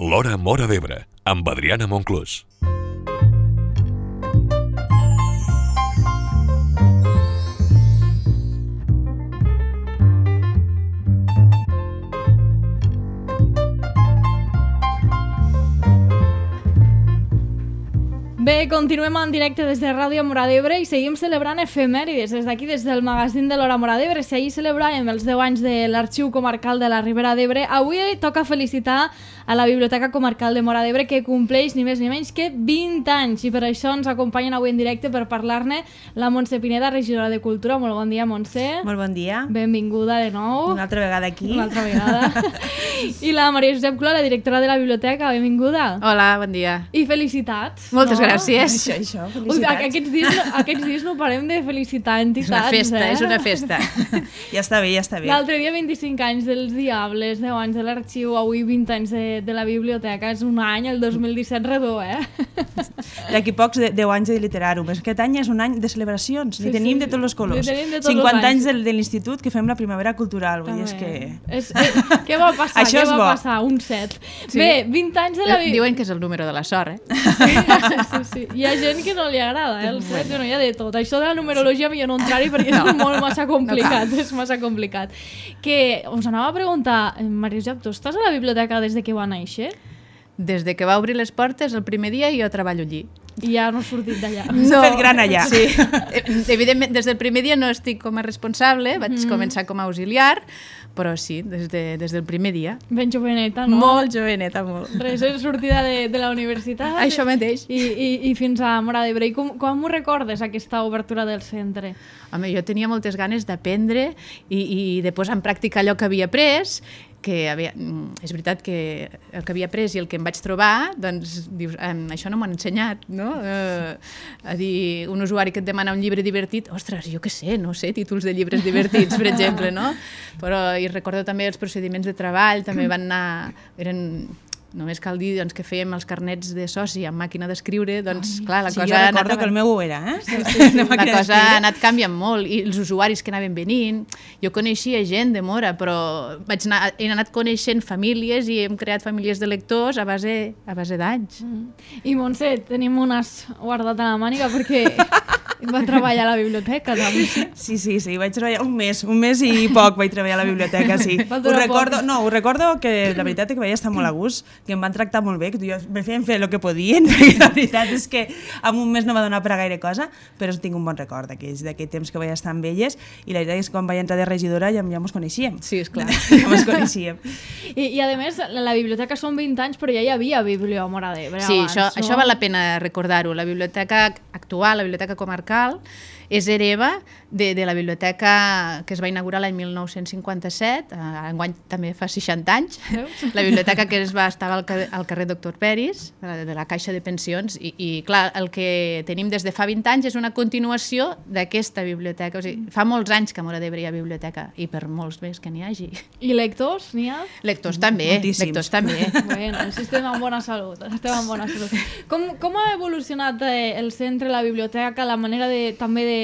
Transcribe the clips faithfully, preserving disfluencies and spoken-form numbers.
L'Hora Móra d'Ebre, amb Adriana Monclús. Bé, continuem en directe des de Ràdio Móra d'Ebre i seguim celebrant efemèrides des d'aquí, des del magazín de l'Hora Móra d'Ebre. Si ahir celebràvem els deu anys de l'Arxiu Comarcal de la Ribera d'Ebre, avui toca felicitar a la Biblioteca Comarcal de Móra d'Ebre, que compleix ni més ni menys que vint anys, i per això ens acompanyen avui en directe per parlar-ne la Montse Pineda, regidora de Cultura. Molt bon dia, Montse. Molt bon dia. Benvinguda de nou. Una altra vegada aquí. Una altra vegada. I la Maria Josep Cló, la directora de la biblioteca. Benvinguda. Hola, bon dia. I felicitats. Moltes no? gràcies. Això, això, felicitats. Ui, aquests, dies, aquests dies no parem de felicitar entitats. És una festa, eh? és una festa. Ja està bé, ja està bé. L'altre dia vint-i-cinc anys dels Diables, deu anys de l'Arxiu, avui vint anys de, de la biblioteca. És un any, el dos mil disset redó, eh? D'aquí pocs, deu anys de Literarum. Aquest any és un any de celebracions. Sí, N'hi tenim sí, de tots els colors. N'hi tenim de tots cinquanta els anys de, de l'institut que fem la primavera cultural. Vull dir, és que... És, eh, què va passar? Això què és va bo. passar? Un set. Sí. Bé, vint anys de la biblioteca. Diuen que és el número de la sort, eh? Sí, sí, sí. Hi ha gent que no li agrada, eh, el set, bueno, hi ha de tot. Això de la numerologia millor no entrar-hi perquè no. És molt massa complicat, no és massa complicat. Que us anava a preguntar, Maria Josep, tu estàs a la biblioteca des de que va néixer? Des de que va obrir les portes el primer dia jo treballo allí. I ja no has sortit d'allà. S'ha fet gran allà. Sí. Evidentment, des del primer dia no estic com a responsable, vaig Mm. començar com a auxiliar, però sí, des, de, des del primer dia. Ben joveneta, no? Molt joveneta, molt. Recent sortida de, de la universitat. Això mateix. I, i, i fins a Móra d'Ebre. I com, com ho recordes, aquesta obertura del centre? Home, jo tenia moltes ganes d'aprendre i, i de posar en pràctica allò que havia après, que havia, és veritat que el que havia après i el que em vaig trobar, doncs dius, eh, això no m'ho han ensenyat, no? Eh, a dir, un usuari que et demana un llibre divertit, ostres, jo què sé, no sé, títols de llibres divertits, per exemple, no? Però i recordo també els procediments de treball, també van anar, eren... Només cal dir doncs, que fèiem els carnets de soci amb màquina d'escriure, doncs Ai, clar, la sí, cosa... jo ha recordo anat... que el meu ho era, eh? Sí, sí, sí. La cosa ha anat canviant molt i els usuaris que anaven venint, jo coneixia gent de Móra, però vaig anar, he anat coneixent famílies i hem creat famílies de lectors a base, a base d'anys. Mm. I Montse, tenim un as guardat a la màniga perquè va treballar a la biblioteca, també. Sí, sí, sí, vaig treballar un mes, un mes i poc vaig treballar a la biblioteca, sí. Ho recordo, no, ho recordo que la veritat és que vaig estar molt a gust, que em van tractar molt bé, que jo me feien fer el que podien, perquè la veritat és que en un mes no va donar per a gaire cosa, però tinc un bon record d'aquell temps que vaig estar amb elles, i la veritat és que quan vaig entrar de regidora ja, ja mos coneixíem. Sí, esclar. Ja mos coneixíem. I, I a més, la, la biblioteca són vint anys, però ja hi havia Biblio a Móra d'Ebre Sí, abans, això, no? això val la pena recordar-ho. La biblioteca actual, la biblioteca comarcal, és hereva de, de la biblioteca que es va inaugurar l'any mil nou-cents cinquanta-set, eh, enguany també fa seixanta anys, Veus? la biblioteca que es va estar al carrer, al carrer Doctor Peris, de la, de la Caixa de Pensions, i, i clar, el que tenim des de fa vint anys és una continuació d'aquesta biblioteca. O sigui, fa molts anys que a Móra d'Ebre hi ha biblioteca, i per molts més que n'hi hagi. I lectors, n'hi ha? Lectors també, Moltíssims. lectors també. Bueno, si estem en bona salut, estem en bona salut. Com, com ha evolucionat eh, el centre, la biblioteca, la manera de, també de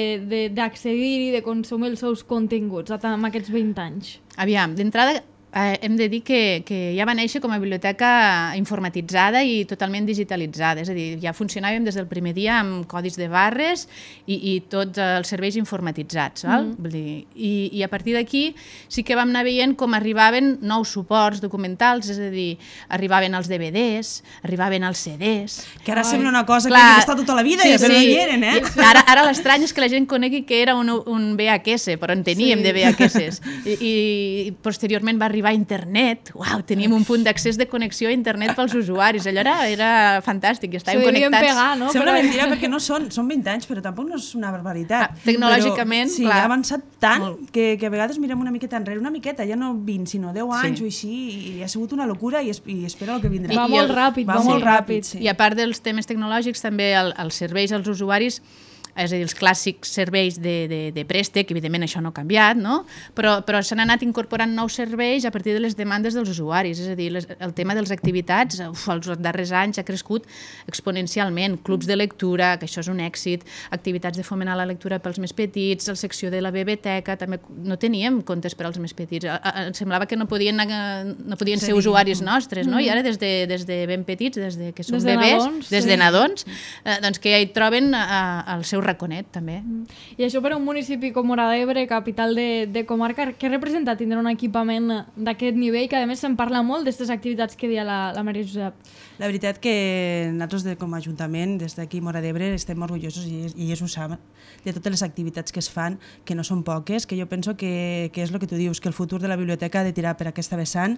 d'accedir i de consumir els seus continguts amb aquests vint anys? Aviam, d'entrada eh, hem de dir que, que ja va néixer com a biblioteca informatitzada i totalment digitalitzada, és a dir, ja funcionàvem des del primer dia amb codis de barres i, i tots els serveis informatitzats, val? Mm. Vull dir, i, i a partir d'aquí sí que vam anar veient com arribaven nous suports documentals, és a dir, arribaven els D V Ds, arribaven els C Ds... Que ara Ai. sembla una cosa Clar, que ha estat tota la vida, sí, ja, però sí. no hi eren, eh? I Ara, ara l'estrany és que la gent conegui que era un, un V H S, però en teníem Sí. de V H S. I, i posteriorment va arribar a internet. Uau, teníem un punt d'accés de connexió a internet pels usuaris. Allò era, era fantàstic, i estàvem S'ho devien connectats. pegar, no? Sembla Però- mentida perquè no són, són vint anys, però tampoc no és una barbaritat. Ah, tecnològicament, però, sí, clar. ha avançat tant que, que a vegades mirem una miqueta enrere, una miqueta, ja no vint, sinó deu anys Sí. o així, i ha sigut una locura i, es, i espera el que vindrà. Va I molt el- ràpid, va, va molt molt ràpid. ràpid, sí. I a part dels temes tecnològics, també el, els serveis als usuaris és a dir, els clàssics serveis de, de, de préstec, evidentment això no ha canviat, no? però, però s'han anat incorporant nous serveis a partir de les demandes dels usuaris, és a dir, les, el tema de les activitats uf, els darrers anys ha crescut exponencialment, clubs de lectura, que això és un èxit, activitats de fomentar la lectura pels més petits, la secció de la biblioteca, també no teníem comptes per als més petits, em semblava que no podien, no podien ser usuaris nostres, no? I ara des de, des de ben petits, des de que són des de bebès, nadons, des sí. de nadons, eh, doncs que ja hi troben eh, el seu raconet, també. I això per a un municipi com Móra d'Ebre, capital de, de comarca, què representa tindre un equipament d'aquest nivell, que a més se'n parla molt d'aquestes activitats que deia la, la Maria Josep? La veritat que nosaltres de, com a Ajuntament, des d'aquí Móra d'Ebre, estem orgullosos, i, i ells ho saben, de totes les activitats que es fan, que no són poques, que jo penso que, que és el que tu dius, que el futur de la biblioteca ha de tirar per aquesta vessant,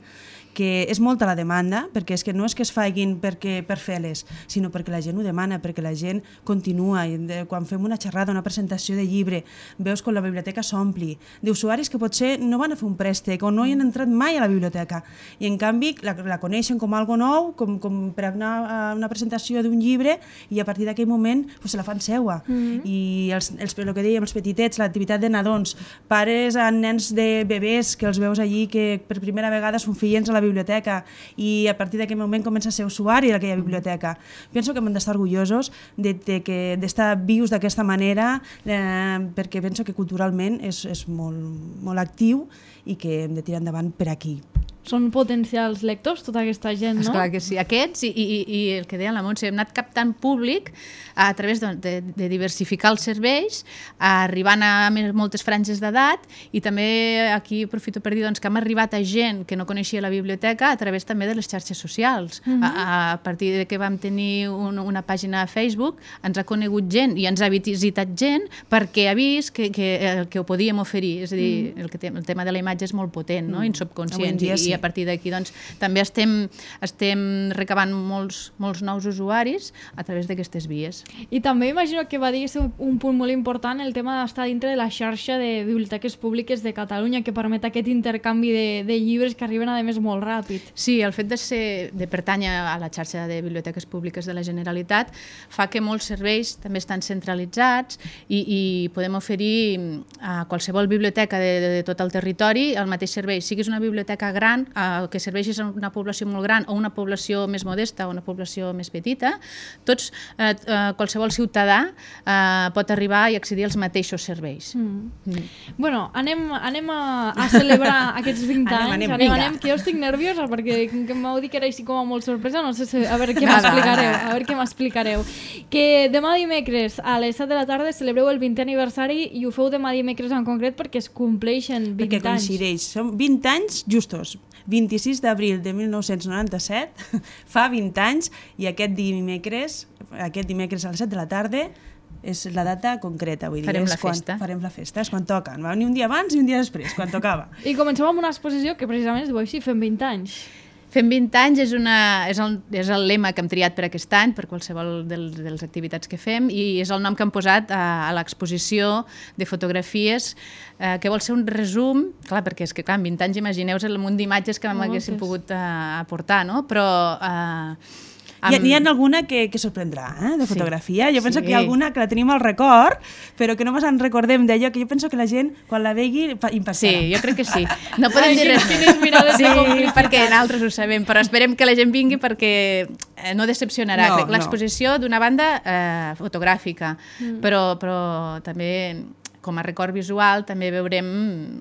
que és molta la demanda, perquè és que no és que es facin perquè, per fer-les, sinó perquè la gent ho demana, perquè la gent continua. I de, quan fem una xerrada, una presentació de llibre, veus com la biblioteca s'ompli, d'usuaris que potser no van a fer un préstec o no hi han entrat mai a la biblioteca, i en canvi la, la coneixen com algo nou, com, com per anar a una presentació d'un llibre, i a partir d'aquell moment pues, se la fan seua. Mm-hmm. I els, els, el que dèiem, els petitets, l'activitat de nadons, pares amb nens de bebès que els veus allí que per primera vegada són fills a la biblioteca, i a partir d'aquell moment comença a ser usuari d'aquella biblioteca. Penso que hem d'estar orgullosos de, de que d'estar vius d'aquesta manera, eh, perquè penso que culturalment és, és molt, molt actiu i que hem de tirar endavant per aquí. Són potencials lectors, tota aquesta gent, no? Esclar que sí. Aquests i, i, i el que deia la Montse, hem anat captant públic a través de, de, de diversificar els serveis, arribant a moltes franges d'edat, i també aquí aprofito per dir doncs, que hem arribat a gent que no coneixia la biblioteca a través també de les xarxes socials. Mm-hmm. a, a partir de que vam tenir un, una pàgina a Facebook, ens ha conegut gent i ens ha visitat gent perquè ha vist que, que, que ho podíem oferir. És a dir, mm. el, que te, el tema de la imatge és molt potent, no? Mm. Insubconscient. I, i a partir d'aquí doncs, també estem, estem recabant molts, molts nous usuaris a través d'aquestes vies. I també imagino que va dir un punt molt important el tema d'estar dintre de la xarxa de biblioteques públiques de Catalunya, que permet aquest intercanvi de, de llibres que arriben a més molt ràpid. Sí, el fet de, ser, de pertànyer a la xarxa de biblioteques públiques de la Generalitat fa que molts serveis també estan centralitzats i, i podem oferir a qualsevol biblioteca de, de, de tot el territori el mateix servei, siguis una biblioteca gran Eh, que serveixis a una població molt gran o una població més modesta o una població més petita, tots, eh, eh, qualsevol ciutadà eh, pot arribar i accedir als mateixos serveis. Mm. Mm. Bueno, anem, anem a, a celebrar aquests vint anys. Anem, anem, anem, anem, que jo estic nerviosa perquè que m'heu dit que era així com a molt sorpresa, no sé si, a veure què m'explicareu, a veure què m'explicareu. Que demà dimecres a les set de la tarda celebreu el vintè aniversari i ho feu demà dimecres en concret perquè es compleixen vint perquè anys. Coincideix, són vint anys justos. vint-i-sis d'abril de mil nou-cents noranta-set, fa vint anys, i aquest dimecres, aquest dimecres a les set de la tarda, és la data concreta, vull dir, farem és la quan festa. Farem la festa, és quan toca. Va venir un dia abans i un dia després, quan tocava. I comencem amb una exposició que precisament es diu així, fem vint anys. Fem vint anys és, una, és, el, és el lema que hem triat per aquest any, per qualsevol del, de les activitats que fem, i és el nom que hem posat a, a l'exposició de fotografies, eh, que vol ser un resum, clar, perquè és que clar, en vint anys imagineu-vos el munt d'imatges que no, haguéssim pogut eh, aportar, no? Però... Eh, Amb... N'hi ha alguna que, que sorprendrà, eh, de fotografia. Sí, jo penso sí. que hi ha alguna que la tenim al record, però que no ens en recordem d'allò, que jo penso que la gent, quan la vegi, impactarà. Sí, jo crec que sí. No podem dir res més. Sí, perquè nosaltres ho sabem, però esperem que la gent vingui perquè no decepcionarà. No, crec l'exposició, no. d'una banda, eh, fotogràfica, mm. però, però també... com a record visual també veurem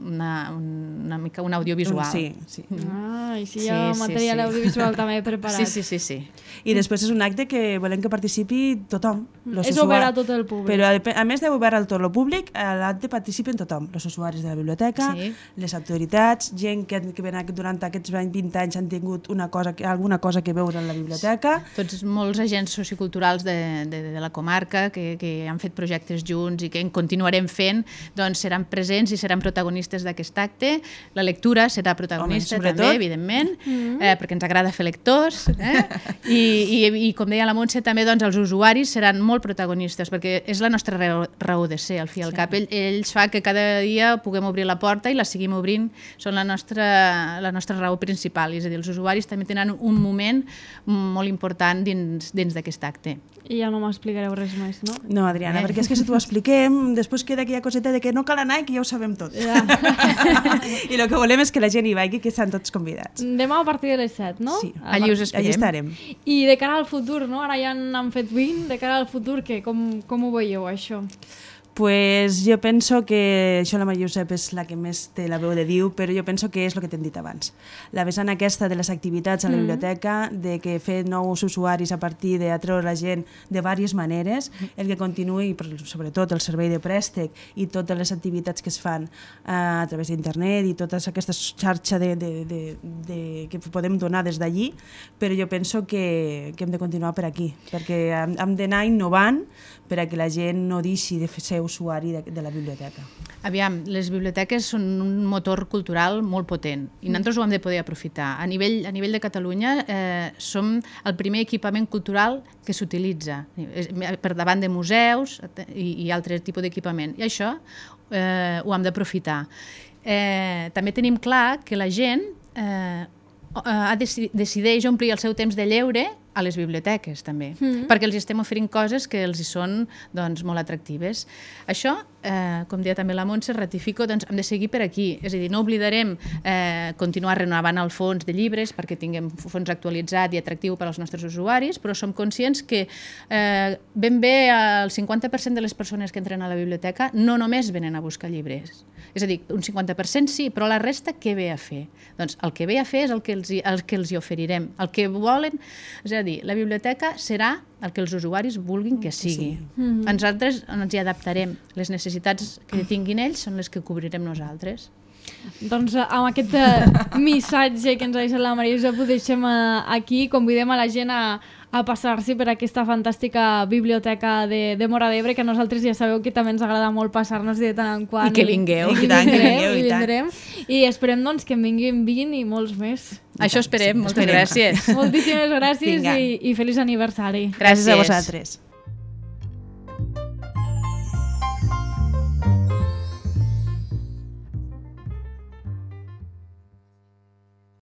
una, una mica un audiovisual. Sí, sí. Ah, i si hi ha sí, material sí, sí. audiovisual també preparat. Sí, sí, sí, sí. I després és un acte que volem que participi tothom. És obert a tot el públic. Però a, a més d'obert a tot el públic, a l'acte participen tothom. Els usuaris de la biblioteca, sí. les autoritats, gent que, que durant aquests vint anys han tingut una cosa, alguna cosa que veure en la biblioteca. Tots molts agents socioculturals de, de, de la comarca que, que han fet projectes junts i que en continuarem fent gent doncs, seran presents i seran protagonistes d'aquest acte. La lectura serà protagonista Home, també, evidentment, mm. eh, perquè ens agrada fer lectors. Eh? I, i, I com deia la Montse, també doncs, els usuaris seran molt protagonistes, perquè és la nostra raó, raó de ser, al fi i al sí. cap. Ell, ells fa que cada dia puguem obrir la porta i la seguim obrint, són la nostra, la nostra raó principal. És a dir, els usuaris també tenen un moment molt important dins, dins d'aquest acte. I ja no m'explicareu res més, no? No, Adriana, eh? perquè és que si t'ho expliquem, després queda aquella coseta de que no cal anar i que ja ho sabem tot. Ja. I el que volem és que la gent hi vagi, que estan tots convidats. Demà a partir de les set, no? Sí, allí us esperem. Allí estarem. I de cara al futur, no? Ara ja n'han fet vint, de cara al futur, què? Com, com ho veieu, això? Pues jo penso que això la Maria Josep és la que més té la veu de Déu, però jo penso que és el que t'hem dit abans. La vessant aquesta de les activitats a la biblioteca, de que fer nous usuaris a partir d'atreure la gent de diverses maneres, el que continuï, sobretot el servei de préstec i totes les activitats que es fan a través d'internet i tota aquesta xarxa de, de, de, de, que podem donar des d'allí, però jo penso que, que hem de continuar per aquí, perquè hem, hem d'anar innovant per a que la gent no deixi de ser usuari de, de la biblioteca. Aviam, les biblioteques són un motor cultural molt potent i nosaltres ho hem de poder aprofitar. A nivell, a nivell de Catalunya eh, som el primer equipament cultural que s'utilitza per davant de museus i, i altres tipus d'equipament. I això eh, ho hem d'aprofitar. Eh, també tenim clar que la gent eh, ha deci- decideix omplir el seu temps de lleure a les biblioteques, també, mm. perquè els estem oferint coses que els hi són doncs, molt atractives. Això, eh, com deia també la Montse, ratifico, doncs hem de seguir per aquí. És a dir, no oblidarem eh, continuar renovant el fons de llibres perquè tinguem fons actualitzat i atractiu per als nostres usuaris, però som conscients que eh, ben bé el cinquanta per cent de les persones que entren a la biblioteca no només venen a buscar llibres. És a dir, un cinquanta per cent sí, però la resta què ve a fer? Doncs el que ve a fer és el que els, el que els hi oferirem. El que volen, és a dir, la biblioteca serà el que els usuaris vulguin que sigui. Sí. Mm-hmm. Nosaltres ens hi adaptarem. Les necessitats que tinguin ells són les que cobrirem nosaltres. Doncs amb aquest uh, missatge que ens ha deixat la Maria Josep ho deixem uh, aquí. Convidem a la gent a, a passar-s'hi per aquesta fantàstica biblioteca de, de Móra d'Ebre, que a nosaltres ja sabeu que també ens agrada molt passar-nos de tant en quant. I que vingueu. I, i, tant, vindrem, que vingueu, i, i tant. vindrem. I esperem doncs, que en vinguin vint i molts més. I Això esperem. Sí, moltes esperem. gràcies. Moltíssimes gràcies Vinga. i, i feliç aniversari. Gràcies a vosaltres.